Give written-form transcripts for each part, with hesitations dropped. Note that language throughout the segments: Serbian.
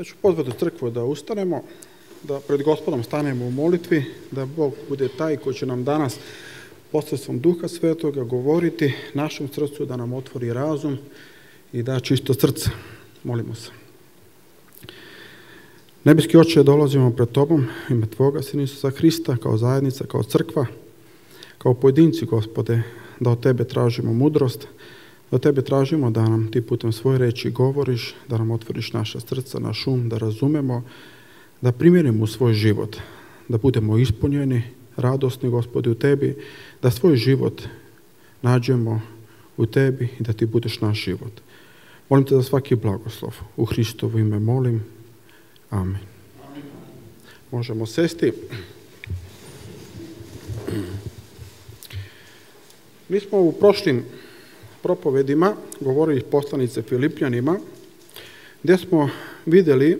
Ja ću pozvati crkvu da ustanemo, da pred Gospodom stanemo u molitvi, da Bog bude taj koji će nam danas posredstvom Duha Svetoga govoriti našem srcu, da nam otvori razum i da čisto srce. Molimo se. Nebeski Oče, dolazimo pred Tobom, ime Tvoga, Sina Isusa Hrista, kao zajednica, kao crkva, kao pojedinci, Gospode, da od Tebe tražimo mudrost, da od Tebe tražimo da nam Ti putem svoje reči govoriš, da nam otvoriš naša srca, naš um, da razumemo, da primjenimo u svoj život, da budemo ispunjeni, radosni, Gospode, u Tebi, da svoj život nađemo u Tebi i da Ti budeš naš život. Molim Te za svaki blagoslov. U Hristovo ime molim. Amen. Možemo sesti. Mi smo u prošlim propovedima govorili poslanice Filipljanima, gdje smo vidjeli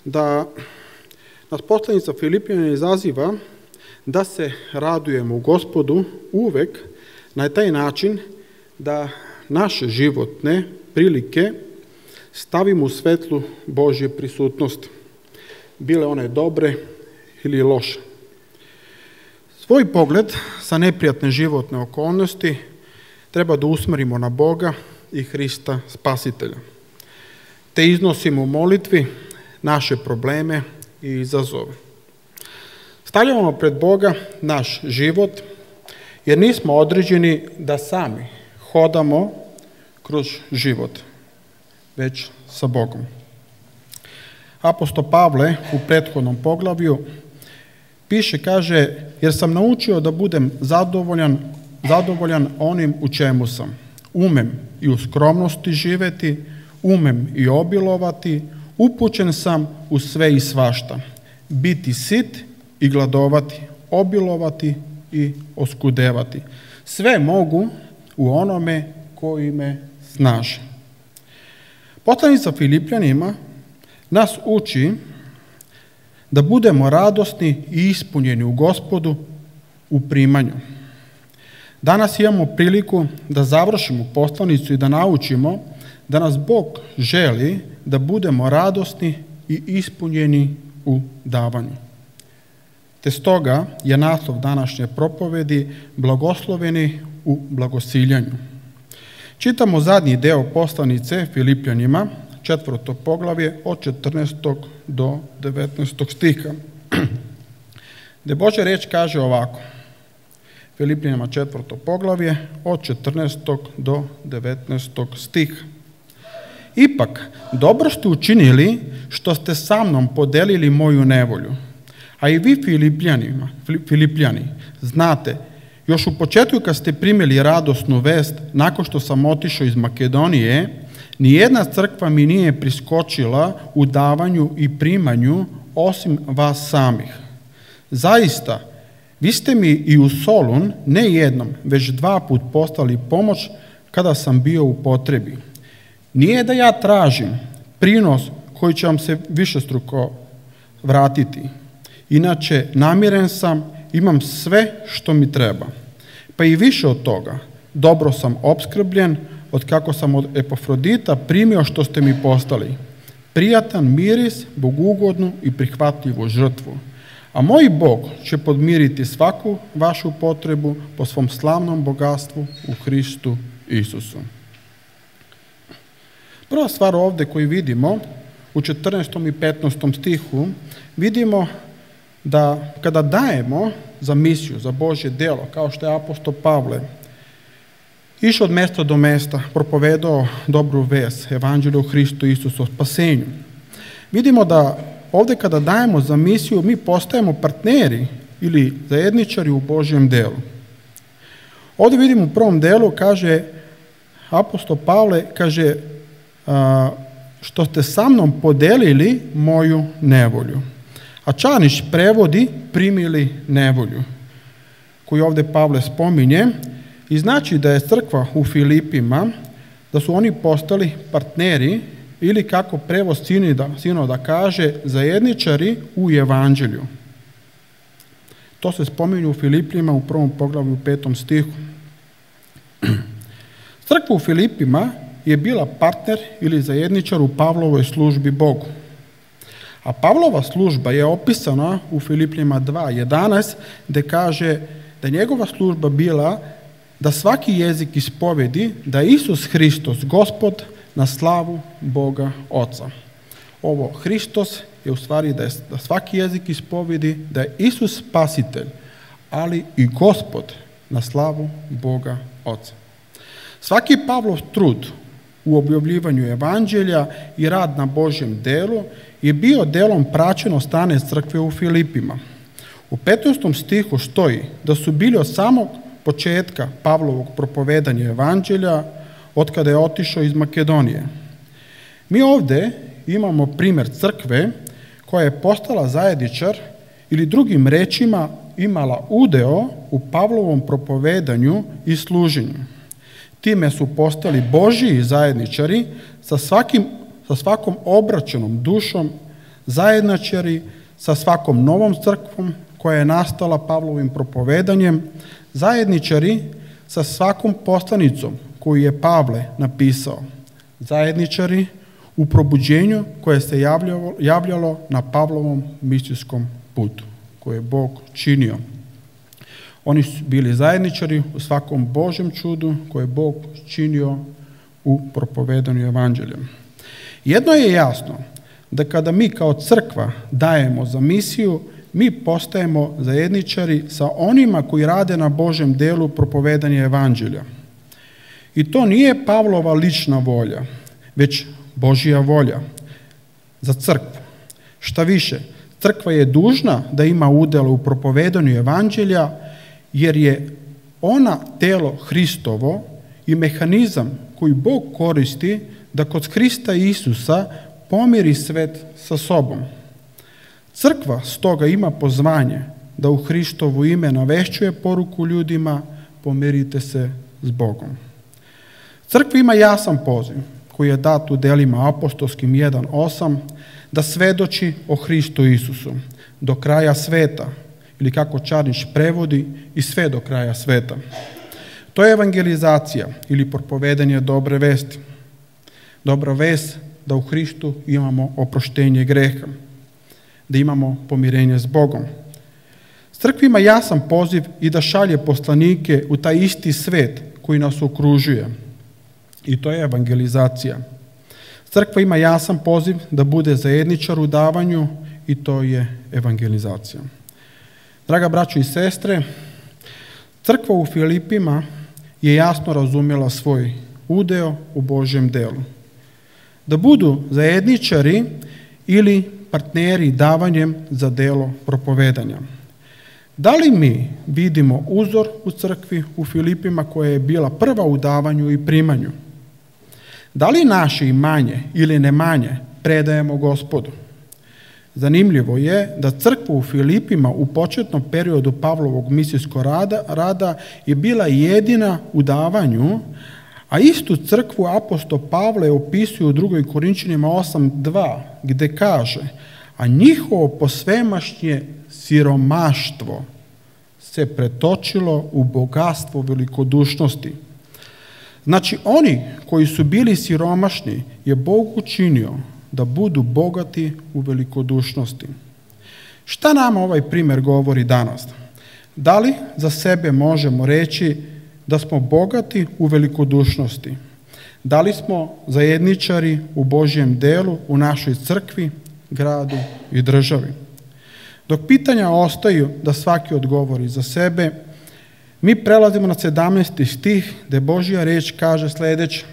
da nas poslanica Filipljanima izaziva da se radujemo u Gospodu uvek na taj način da naše životne prilike stavimo u svetlu Božje prisutnosti, bile one dobre ili loše. Svoj pogled sa neprijatne životne okolnosti treba da usmerimo na Boga i Hrista Spasitelja, te iznosimo u molitvi naše probleme i izazove. Stavljamo pred Boga naš život, jer nismo određeni da sami hodamo kroz život, već sa Bogom. Apostol Pavle u prethodnom poglavlju piše, kaže, jer sam naučio da budem zadovoljan onim u čemu sam. Umem i u skromnosti živeti, umem i obilovati, upućen sam u sve i svašta. Biti sit i gladovati, obilovati i oskudevati. Sve mogu u onome koji me snaži. Poslanica Filipljanima nas uči da budemo radosni i ispunjeni u Gospodu u primanju. Danas imamo priliku da završimo poslanicu i da naučimo da nas Bog želi da budemo radosni i ispunjeni u davanju. Te stoga je naslov današnje propovedi blagosloveni u blagosiljanju. Čitamo zadnji deo poslanice Filipljanima, 4. poglavlje od 14. do 19. stiha, gdje Božja reč kaže ovako. Filipljanima 4. poglavlje od 14. do 19. stiha. Ipak, dobro ste učinili što ste sa mnom podelili moju nevolju. A i vi Filipljani, znate, još u početku kad ste primili radosnu vest, nakon što sam otišao iz Makedonije, nijedna crkva mi nije priskočila u davanju i primanju osim vas samih. Zaista, vi ste mi i u Solun ne jednom, već 2 puta poslali pomoć kada sam bio u potrebi. Nije da ja tražim prinos koji će vam se višestruko vratiti. Inače, namiren sam, imam sve što mi treba. Pa i više od toga, dobro sam opskrbljen od kako sam od Epafrodita primio što ste mi postali. Prijatan miris, bogugodnu i prihvatljivu žrtvu. A moj Bog će podmiriti svaku vašu potrebu po svom slavnom bogatstvu u Hristu Isusu. Prva stvar ovdje koju vidimo u 14. i 15. stihu, vidimo da kada dajemo za misiju, za Božje djelo, kao što je apostol Pavle, išao od mjesta do mjesta, propovedao dobru vest, evanđelje o Hristu Isusu, o spasenju. Vidimo da ovdje kada dajemo za misiju, mi postajemo partneri ili zajedničari u Božjem djelu. Ovdje vidimo u prvom delu, kaže apostol Pavle, kaže, što ste sa mnom podelili moju nevolju. A Čanić prevodi primili nevolju, koju ovdje Pavle spominje, i znači da je crkva u Filipima, da su oni postali partneri ili kako prevod sinoda kaže, zajedničari u evanđelju. To se spominje u Filipima u 1. poglavlju u 5. stihu. Crkva u Filipima je bila partner ili zajedničar u Pavlovoj službi Bogu. A Pavlova služba je opisana u Filipljanima 2:11, gdje kaže da je njegova služba bila da svaki jezik ispovedi da je Isus Hristos Gospod na slavu Boga Oca. Ovo Hristos je u stvari da svaki jezik ispovedi da je Isus Spasitelj, ali i Gospod na slavu Boga Oca. Svaki Pavlov trud u objavljivanju evanđelja i rad na Božjem delu je bio delom praćen od strane crkve u Filipima. U 15. stihu stoji da su bili od samog početka Pavlovog propovedanja evanđelja od kada je otišao iz Makedonije. Mi ovdje imamo primjer crkve koja je postala zajedničar ili drugim rečima imala udeo u Pavlovom propovedanju i služenju. Time su postali Božji zajedničari sa svakom obraćenom dušom, zajedničari sa svakom novom crkvom koja je nastala Pavlovim propovedanjem, zajedničari sa svakom poslanicom koju je Pavle napisao, zajedničari u probuđenju koje se javljalo na Pavlovom misijskom putu, koje je Bog činio. Oni su bili zajedničari u svakom Božjem čudu koje je Bog činio u propovedanju evanđelja. Jedno je jasno, da kada mi kao crkva dajemo za misiju, mi postajemo zajedničari sa onima koji rade na Božjem delu propovedanja evanđelja. I to nije Pavlova lična volja, već Božja volja za crkvu. Šta više, crkva je dužna da ima udjela u propovedanju evanđelja, jer je ona telo Hristovo i mehanizam koji Bog koristi da kod Hrista Isusa pomiri svet sa sobom. Crkva stoga ima pozvanje da u Hristovo ime navešćuje poruku ljudima, pomirite se s Bogom. Crkva ima jasan poziv koji je dat u delima apostolskim 1:8 da svedoči o Hristu Isusu do kraja sveta, ili kako Čarnić prevodi, i sve do kraja sveta. To je evangelizacija ili propovedanje dobre vesti. Dobra vest da u Hristu imamo oproštenje greha, da imamo pomirenje s Bogom. Crkva ima jasan poziv i da šalje poslanike u taj isti svet koji nas okružuje. I to je evangelizacija. Crkva ima jasan poziv da bude zajedničar u davanju i to je evangelizacija. Draga braćo i sestre, crkva u Filipima je jasno razumjela svoj udeo u Božjem delu. Da budu zajedničari ili partneri davanjem za delo propovedanja. Da li mi vidimo uzor u crkvi u Filipima koja je bila prva u davanju i primanju? Da li naše imanje ili nemanje predajemo Gospodu? Zanimljivo je da crkva u Filipima u početnom periodu Pavlovog misijskog rada je bila jedina u davanju, a istu crkvu apostol Pavle opisuje u 2. Korinčanima 8:2, gdje kaže: a njihovo posvemašnje siromaštvo se pretočilo u bogatstvo velikodušnosti. Znači, oni koji su bili siromašni je Bog učinio da budu bogati u velikodušnosti. Šta nam ovaj primjer govori danas? Da li za sebe možemo reći da smo bogati u velikodušnosti? Da li smo zajedničari u Božjem delu, u našoj crkvi, gradu i državi? Dok pitanja ostaju da svaki odgovori za sebe, mi prelazimo na 17. stih gdje Božja riječ kaže sljedeće: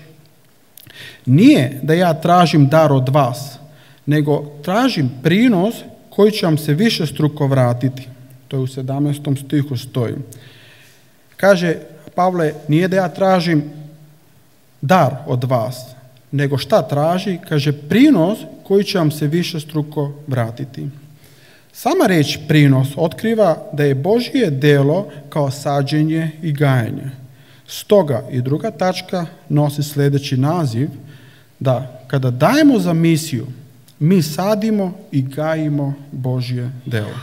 nije da ja tražim dar od vas, nego tražim prinos koji će vam se višestruko vratiti. To je u 17. stihu stoji. Kaže Pavle, nije da ja tražim dar od vas, nego šta traži? Kaže, prinos koji će vam se višestruko vratiti. Sama riječ prinos otkriva da je Božje delo kao sađenje i gajanje. Stoga i druga tačka nosi sljedeći naziv, da kada dajemo za misiju, mi sadimo i gajimo Božje delo.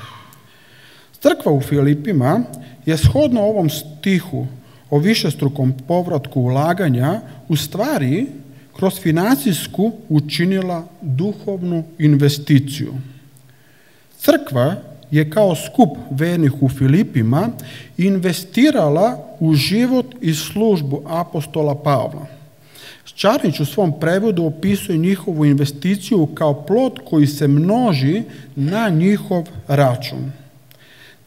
Crkva u Filipima je shodno ovom stihu o višestrukom povratku ulaganja u stvari kroz financijsku učinila duhovnu investiciju. Crkva je kao skup vernih u Filipima investirala u život i službu apostola Pavla. Šćarnić u svom prevodu opisuje njihovu investiciju kao plod koji se množi na njihov račun.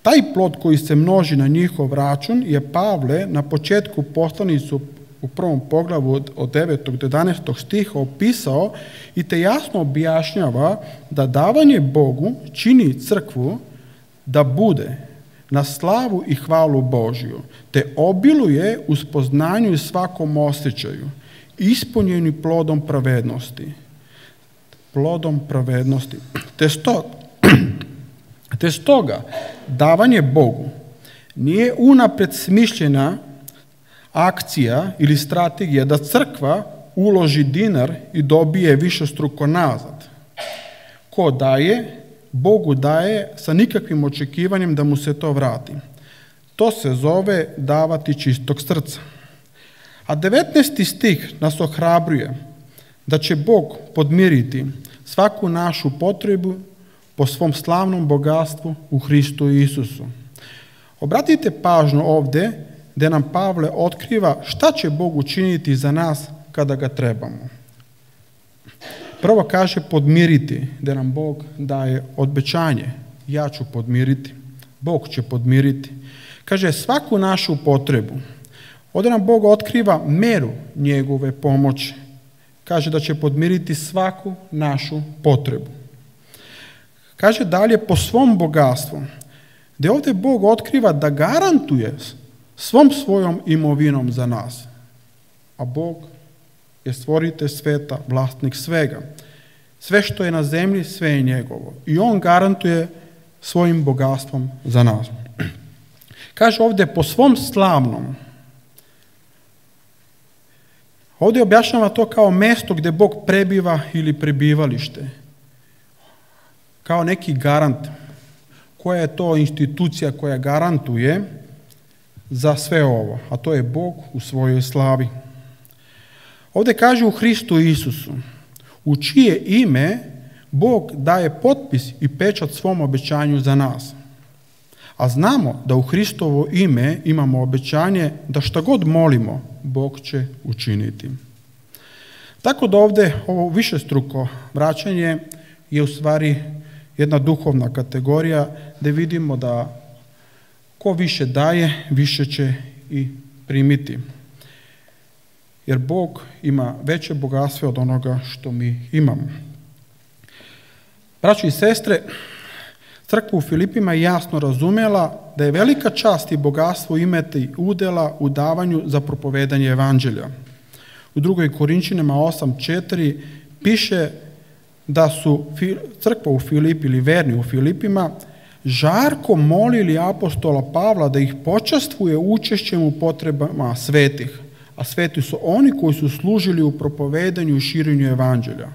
Taj plod koji se množi na njihov račun je Pavle na početku poslanicu u prvom poglavu od 9. do 11. stiha opisao i te jasno objašnjava da davanje Bogu čini crkvu da bude na slavu i hvalu Božju, te obiluje u spoznanju i svakom osjećaju, ispunjeni plodom pravednosti. Plodom pravednosti. Te stoga, davanje Bogu nije unapred smišljena akcija ili strategija da crkva uloži dinar i dobije višestruko nazad. Ko daje, Bogu daje sa nikakvim očekivanjem da mu se to vrati. To se zove davati čistog srca. A 19. stih nas ohrabruje da će Bog podmiriti svaku našu potrebu po svom slavnom bogatstvu u Hristu Isusu. Obratite pažnju ovdje gdje nam Pavle otkriva šta će Bog učiniti za nas kada ga trebamo. Prvo kaže podmiriti, gdje nam Bog daje obećanje. Ja ću podmiriti, Bog će podmiriti. Kaže svaku našu potrebu. Ovdje nam Bog otkriva meru njegove pomoći. Kaže da će podmiriti svaku našu potrebu. Kaže dalje po svom bogatstvu, gdje ovdje Bog otkriva da garantuje svom svojom imovinom za nas. A Bog je stvoritelj sveta, vlasnik svega. Sve što je na zemlji, sve je njegovo. I on garantuje svojim bogatstvom za nas. Kaže ovdje po svom slavnom. Ovdje objašnjava to kao mjesto gdje Bog prebiva ili prebivalište. Kao neki garant. Koja je to institucija koja garantuje za sve ovo? A to je Bog u svojoj slavi. Ovdje kaže u Hristu Isusu, u čije ime Bog daje potpis i pečat svom obećanju za nas. A znamo da u Hristovo ime imamo obećanje da šta god molimo, Bog će učiniti. Tako da ovdje ovo višestruko vraćanje je u stvari jedna duhovna kategorija gdje vidimo da ko više daje, više će i primiti. Jer Bog ima veće bogatstvo od onoga što mi imamo. Braćo i sestre, crkva u Filipima je jasno razumjela da je velika čast i bogatstvo imati udjela u davanju za propovedanje evanđelja. U 2. Korinčanima 8:4 piše da su crkva u Filipi ili verni u Filipima žarko molili apostola Pavla da ih počastvuje učešćem u potrebama svetih, a sveti su oni koji su služili u propovedanju i širenju evanđelja.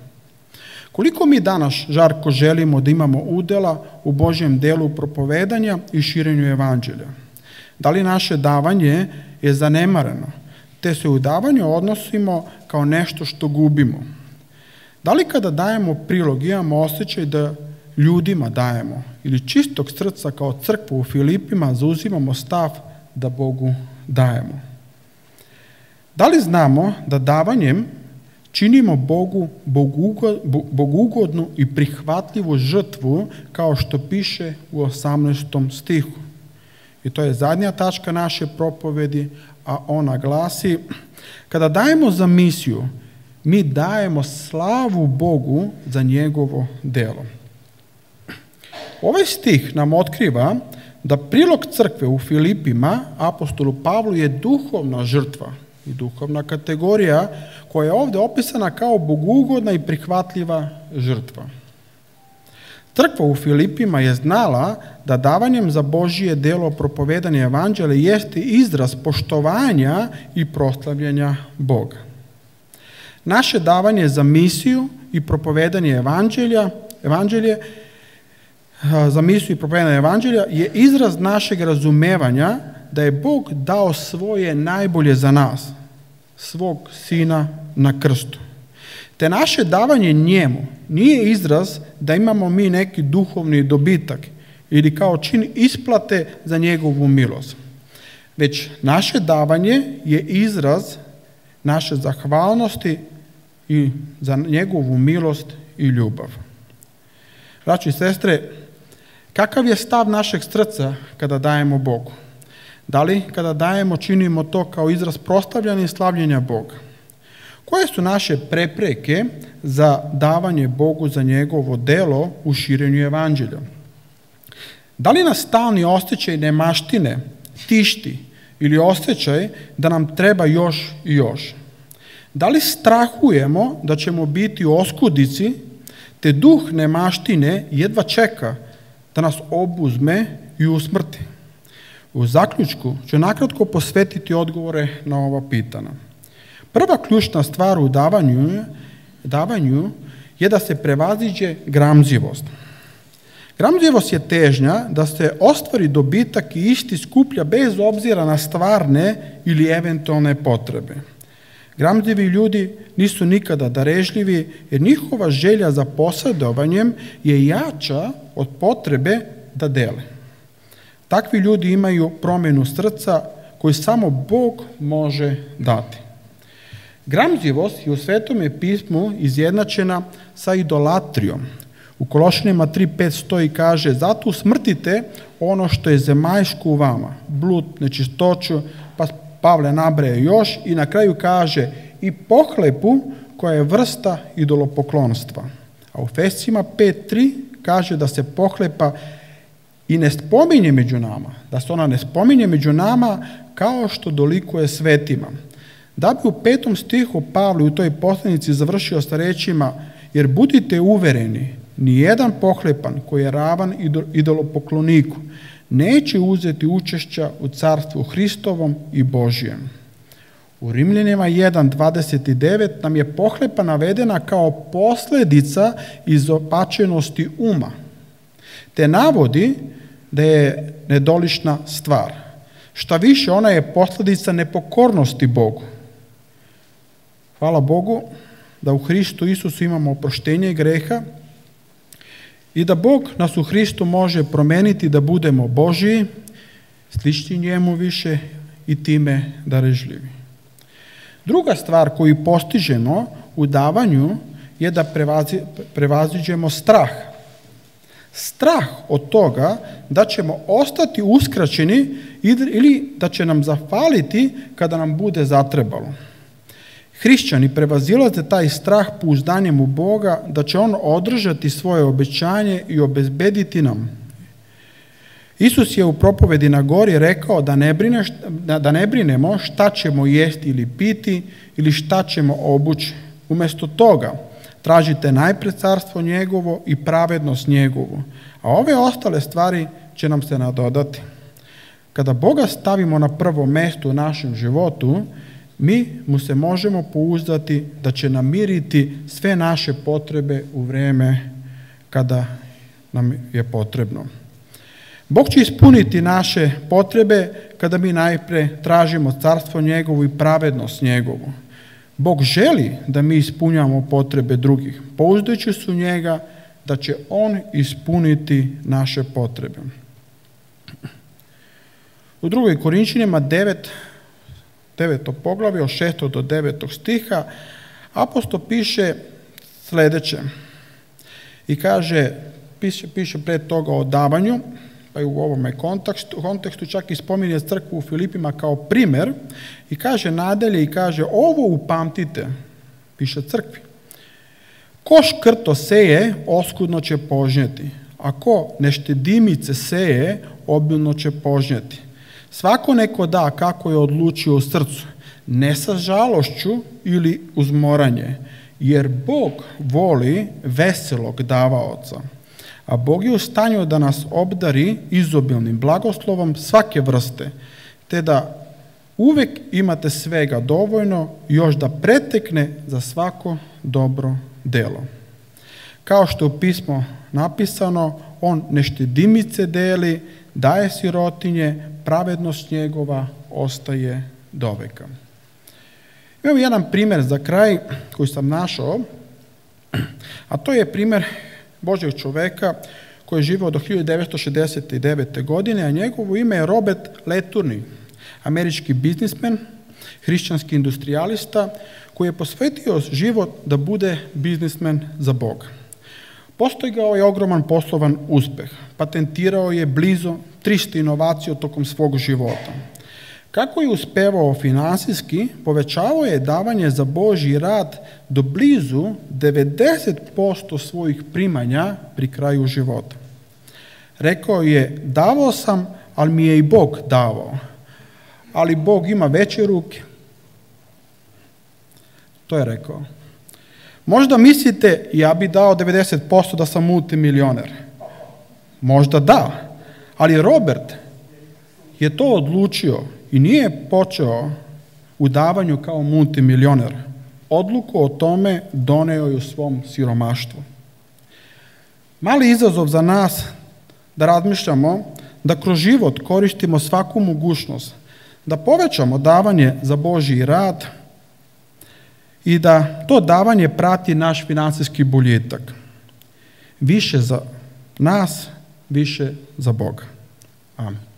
Koliko mi danas žarko želimo da imamo udjela u Božjem delu propovedanja i širenju evanđelja? Da li naše davanje je zanemareno, te se u davanju odnosimo kao nešto što gubimo? Da li kada dajemo prilog imamo osjećaj da ljudima dajemo ili čistog srca kao crkva u Filipima zauzimamo stav da Bogu dajemo? Da li znamo da davanjem činimo Bogu bogugodnu i prihvatljivu žrtvu kao što piše u 18. stihu? I to je zadnja tačka naše propovedi, a ona glasi: kada dajemo za misiju, mi dajemo slavu Bogu za njegovo delo. Ovaj stih nam otkriva da prilog crkve u Filipima apostolu Pavlu je duhovna žrtva i duhovna kategorija koja je ovdje opisana kao bogugodna i prihvatljiva žrtva. Crkva u Filipima je znala da davanjem za Božje delo propovedanje evanđelja jeste izraz poštovanja i proslavljanja Boga. Naše davanje za misiju i propovedanje evanđelje je izraz našeg razumevanja da je Bog dao svoje najbolje za nas, svog Sina na krstu. Te naše davanje njemu nije izraz da imamo mi neki duhovni dobitak ili kao čin isplate za njegovu milost. Već naše davanje je izraz naše zahvalnosti i za njegovu milost i ljubav. Braći i sestre, kakav je stav našeg srca kada dajemo Bogu? Da li kada dajemo činimo to kao izraz proslavljanja i slavljenja Boga? Koje su naše prepreke za davanje Bogu za njegovo delo u širenju evanđelja? Da li nas stalni osjećaj nemaštine tišti ili osjećaj da nam treba još i još? Da li strahujemo da ćemo biti u oskudici, te duh nemaštine jedva čeka da nas obuzme i usmrti? U zaključku ću nakratko posvetiti odgovore na ova pitanja. Prva ključna stvar u davanju je da se prevaziđe gramzivost. Gramzivost je težnja da se ostvari dobitak i isti skuplja bez obzira na stvarne ili eventualne potrebe. Gramzivi ljudi nisu nikada darežljivi jer njihova želja za posjedovanjem je jača od potrebe da dele. Takvi ljudi imaju promjenu srca koju samo Bog može dati. Gramzivost je u Svetome pismu izjednačena sa idolatrijom. U Kološanima 3.5 stoji i kaže: zato usmrtite ono što je zemaljsko u vama, blud, nečistoću, pa Pavle nabraja još i na kraju kaže i pohlepu koja je vrsta idolopoklonstva. A u Efescima 5.3 kaže da se pohlepa i ne spominje među nama, da se ona ne spominje među nama kao što dolikuje svetima. Da bi u 5. stihu Pavle u toj poslanici završio sa rečima: jer budite uvereni, nijedan pohlepan koji je ravan idolopokloniku neće uzeti učešća u carstvu Hristovom i Božijem. U Rimljanima 1.29 nam je pohlepa navedena kao posljedica izopačenosti uma, te navodi da je nedolična stvar. Šta više, ona je posljedica nepokornosti Bogu. Hvala Bogu da u Hristu Isusu imamo oproštenje greha i da Bog nas u Hristu može promeniti da budemo Božiji, slični njemu više i time darežljivi. Druga stvar koju postižemo u davanju je da prevaziđemo strah. Strah od toga da ćemo ostati uskraćeni ili da će nam zafaliti kada nam bude zatrebalo. Hrišćani prevazilaze taj strah pouzdanjem u Boga da će On održati svoje obećanje i obezbediti nam. Isus je u propovedi na gori rekao da ne brinemo šta ćemo jesti ili piti ili šta ćemo obući. Umjesto toga tražite najpred carstvo njegovo i pravednost njegovu, a ove ostale stvari će nam se nadodati. Kada Boga stavimo na prvo mjesto u našem životu, mi mu se možemo pouzdati da će namiriti sve naše potrebe u vrijeme kada nam je potrebno. Bog će ispuniti naše potrebe kada mi najprije tražimo carstvo njegovo i pravednost njegovu. Bog želi da mi ispunjamo potrebe drugih, pouzdajući se u njega da će On ispuniti naše potrebe. U 2. Korinčanima 9. poglavlje od 6. do 9. stiha apostol piše sljedeće i kaže, piše pred toga o davanju, pa i u ovome kontekstu čak i spominje crkvu u Filipima kao primjer i kaže nadalje i kaže ovo upamtite, piše crkvi. Ko škrto seje, oskudno će požnjeti, a ko neštedimice seje, obilno će požnjeti. Svako neko da kako je odlučio u srcu, ne sa žalošću ili uzmoranje, jer Bog voli veselog davaoca. A Bog je u stanju da nas obdari izobilnim blagoslovom svake vrste, te da uvijek imate svega dovoljno još da pretekne za svako dobro delo. Kao što je u pismu napisano, on neštedimice deli, daje sirotinje, pravednost njegova ostaje doveka. Imamo jedan primjer za kraj koji sam našao A to je primjer Božjeg čoveka koji je živio do 1969. godine, a njegovo ime je Robert Letourneau, američki biznismen, hrišćanski industrijalista, koji je posvetio život da bude biznismen za Boga. Postigao je ogroman poslovan uspeh. Patentirao je blizu 300 inovacija tokom svog života. Kako je uspevao finansijski, povećavao je davanje za Božji rad do blizu 90% svojih primanja pri kraju života. Rekao je, davao sam, ali mi je i Bog davao. Ali Bog ima veće ruke. To je rekao. Možda mislite, ja bi dao 90% da sam multimilioner. Možda da, ali Robert je to odlučio i nije počeo u davanju kao multimilioner. Odluku o tome doneo je u svom siromaštvu. Mali izazov za nas da razmišljamo, da kroz život koristimo svaku mogućnost, da povećamo davanje za Božji rad i da to davanje prati naš finansijski boljitak. Više za nas, više za Boga. Amen.